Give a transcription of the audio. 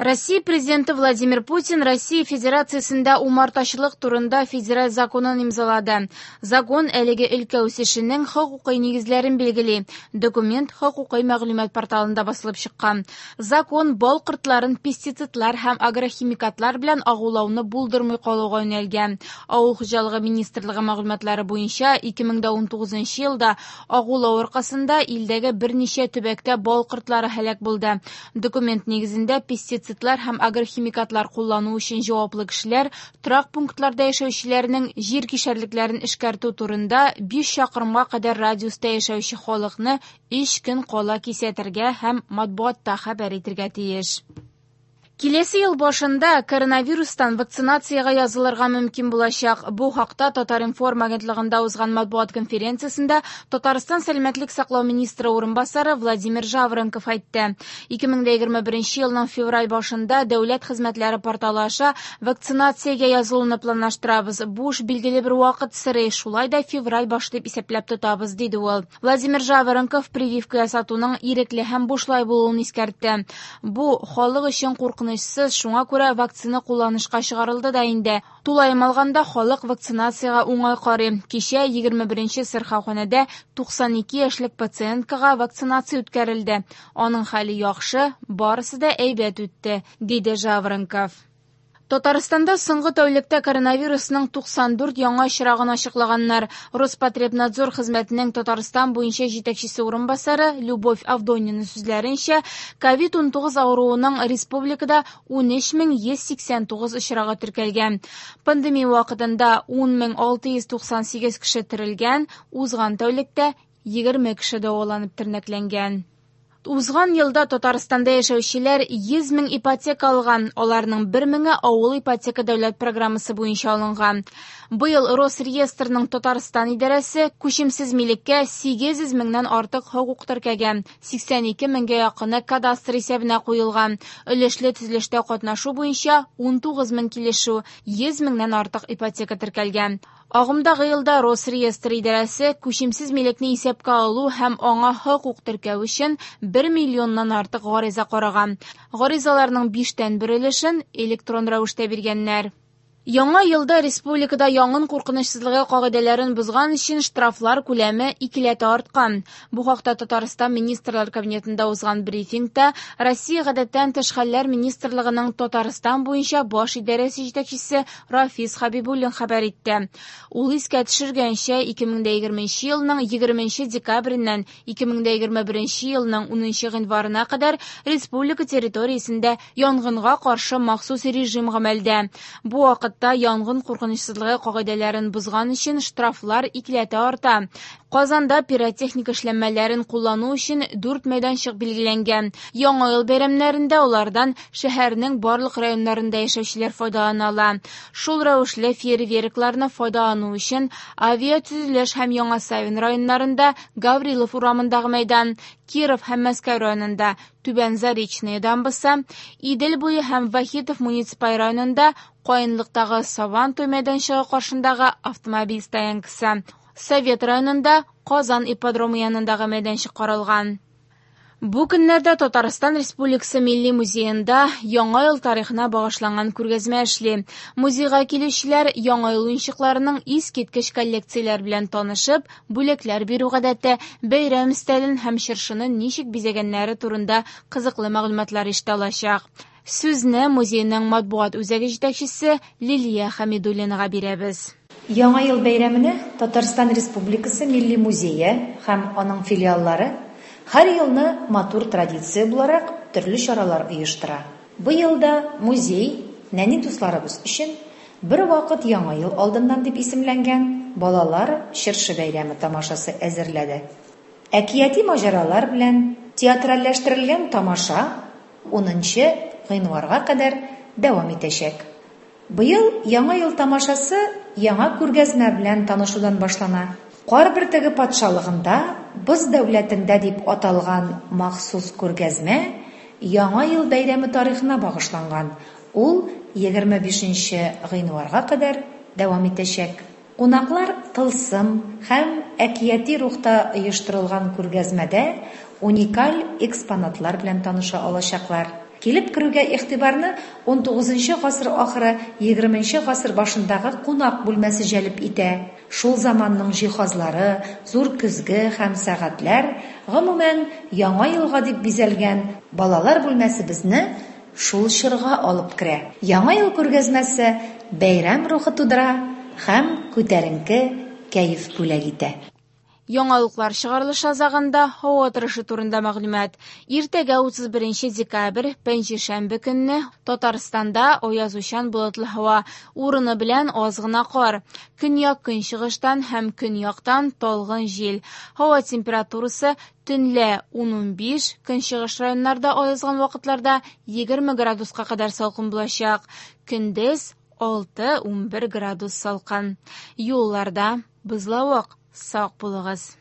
Россия Президенты Владимир Путин Россия Федерациясендә умартачылык турында федераль законын имзалады. Закон әлеге өлкә үсешенең хокукый нигезләрен билгели. Документ хокукый мәгълүмат порталында басылып чыккан. Закон бал кортларын пестицидлар һәм агрохимикатлар белән агулауны булдырмый калуга юнәлгән. Авыл хуҗалыгы министрлыгы мәгълүматлары буенча, 2019 елда агулау аркасында илдәге берничә төбәктә бал кортлары һәлак булды. Документ нигезендә пестицидлар һәм агрохимикатлар куллану өчен җаваплы кешеләр торак пунктларда яшәүчеләрнең җир кишәрлекләрен эшкәртү турында 5 чакрымга кадәр радиуста яшәүче халыкны 3 көн кала кисәтергә һәм матбугатта хәбәр итергә тиеш. Киләсе ел башында коронавирустан вакцинациягә язылырга мөмкин булачак. Бу хакта Татар-информ агентлыгында узган матбугат конференциясендә Татарстан сәламәтлек саклау министры урынбасары Владимир Жаворонков әйтте. 2021 елның февраль башында дәүләт хезмәтләре порталы аша вакцинациягә язылуны планлаштырабыз. Бу эш билгеле бер вакыт сорый, шулай да февраль башы дип исәпләп тотабыз, диде ул. Владимир Жаворонков прививка ясатуның ирекле һәм бушлай булуын искәртте. Бу халык өчен куркынычсыз, шуңа күрә вакцина кулланышка чыгарылды да инде. Тулаем алганда халык вакцинациягә уңай карый. Кичә 21 сырхауханәдә 92 яшьлек пациенткага вакцинация үткәрелде. Аның хәле яхшы, барысы да әйбәт үтте, диде Жаворонков. Татарстанда соңгы тәүлектә коронавирусның 94 яңа очрагын ачыклаганнар. Роспотребнадзор хезмәтенең Татарстан буенча җитәкчесе урынбасары Любовь Авдонина сүзләренчә, ковид-19 авыруының республикада 13189 очрагы теркәлгән. Пандемия вакытында 10698 кеше терелгән, узган тәүлектә 20 кеше дәваланып тернәкләнгән. Узган елда Татарстанда яшәүчеләр 100 мең ипотека алган, аларның 1 меңе авыл ипотека дәүләт программасы буенча алынган. Быел Росреестрның Татарстан идарәсе күчемсез милеккә 800 меңнән артык хокук теркәгән, 82 меңгә якыны кадастр исәбенә куелган. Өлешле төзелештә катнашу буенча 19 мең килешү, 100 меңнән артык ипотека теркәлгән. Агымдагы елда Росреестр идарәсе күчемсез милекне исәпкә алу һәм аңа хокук теркәү өчен 1 миллионнан артык гариза караган. Гаризаларның 1/5 өлешен электрон рәвештә биргәннәр. Яңа елда республикада янгын куркынычсызлыгы кагыйдәләрен бозган өчен штрафлар күләме икеләтә арткан. Бу хакта Татарстан Министрлар Кабинетында узган брифингта Россия гадәттән тыш хәлләр министрлыгының Татарстан буенча баш идарәсе җитәкчесе Рафис Хәбибуллин хәбәр итте. Ул искә төшергәнчә, 2020 елның 20 декабреннән 2021 елның 10 гыйнварына кадәр республика территориясендә янгынга каршы махсус режим гамәлдә. Бу вакытта янгын куркынычсызлыгы кагыйдәләрен бозган өчен штрафлар икеләтә арта. Казанда пиротехника эшләнмәләрен куллану өчен 4 мәйданчык билгеләнгән. Яңа ел бәйрәмнәрендә алардан шәһәрнең барлык районнарында яшәүчеләр файдалана ала. Шул рәвешле фейерверкларны файдалану өчен авиатөзелеш һәм Яңа Савин районнарында Гаврилов урамындагы мәйдан, Киров һәм Мәскәү районында Түбән Заречная дамбасы, Идел буе һәм Вахитов муниципаль районында Каенлыктагы Сабантуй мәйданчыгы каршындагы автомобиль стоянкасы, Совет районында Казан ипподромы янындагы мәйданчык каралган. Бу көннәрдә Татарстан Республикасы Милли музеенда Яңа ел тарихына багышланган күргәзмә эшли. Музейга килүчеләр Яңа ел уенчыкларының искиткеч коллекцияләр белән танышып, бүләкләр бирү гадәте, бәйрәм өстәлен һәм чыршыны ничек бизәгәннәре турында кызыклы мәгълүматлар ишетә алачак. Сүзне музейның матбугат үзәге җитәкчесе Лилия Хәмидуллинага бирәбез. Яңа ел бәйрәменә Татарстан Республикасы Милли музее һәм аның филиаллары һәр елны матур традиция буларак төрле чаралар оештыра. Быел да музей нәни дусларыбыз өчен бер вакыт Яңа ел алдыннан дип исемләнгән балалар чыршы бәйрәме тамашасы әзерләде. Әкияти маҗаралар белән театральләштерелгән тамаша 10 гыйнварга кадәр дәвам итәчәк. Быел Яңа ел тамашасы яңа күргәзмә белән танышудан башлана. Кар бөртеге патшалыгында Боз дәүләтендә дип аталган махсус күргәзмә Яңа ел бәйрәме тарихына багышланган. Ул 25 гыйнварга кадәр дәвам итәчәк. Кунаклар тылсым һәм әкияти рухта оештырылган күргәзмәдә уникаль экспонатлар белән таныша алачаклар. Килеп керүгә игътибарны унтугызынчы гасыр ахыры, егерменче гасыр башындагы кунак бүлмәсе җәлеп итә. Шул заманның җиһазлары, зур көзге һәм сәгатьләр, гомумән, Яңа елга дип бизәлгән балалар бүлмәсе безне шул чорга алып керә. Яңа ел күргәзмәсе бәйрәм рухы тудыра һәм күтәренке кәеф бүләк итә. Яңалыклар чыгарылышы азагында һава торышы турында мәгълүмат. Иртәгә 31 декабрь, пәнҗешәмбе көнне Татарстанда аязучан болытлы һава, урыны белән аз гына кар. Көньяк-көнчыгыштан һәм көньяктан талгын җил. Һава температурасы төнлә 10-15, көнчыгыш районнарда аязган вакытларда 20 градуска кадәр салкын булачак. Көндез 6-11 градус салкын. Юлларда бозлавык. Сак булыгыз!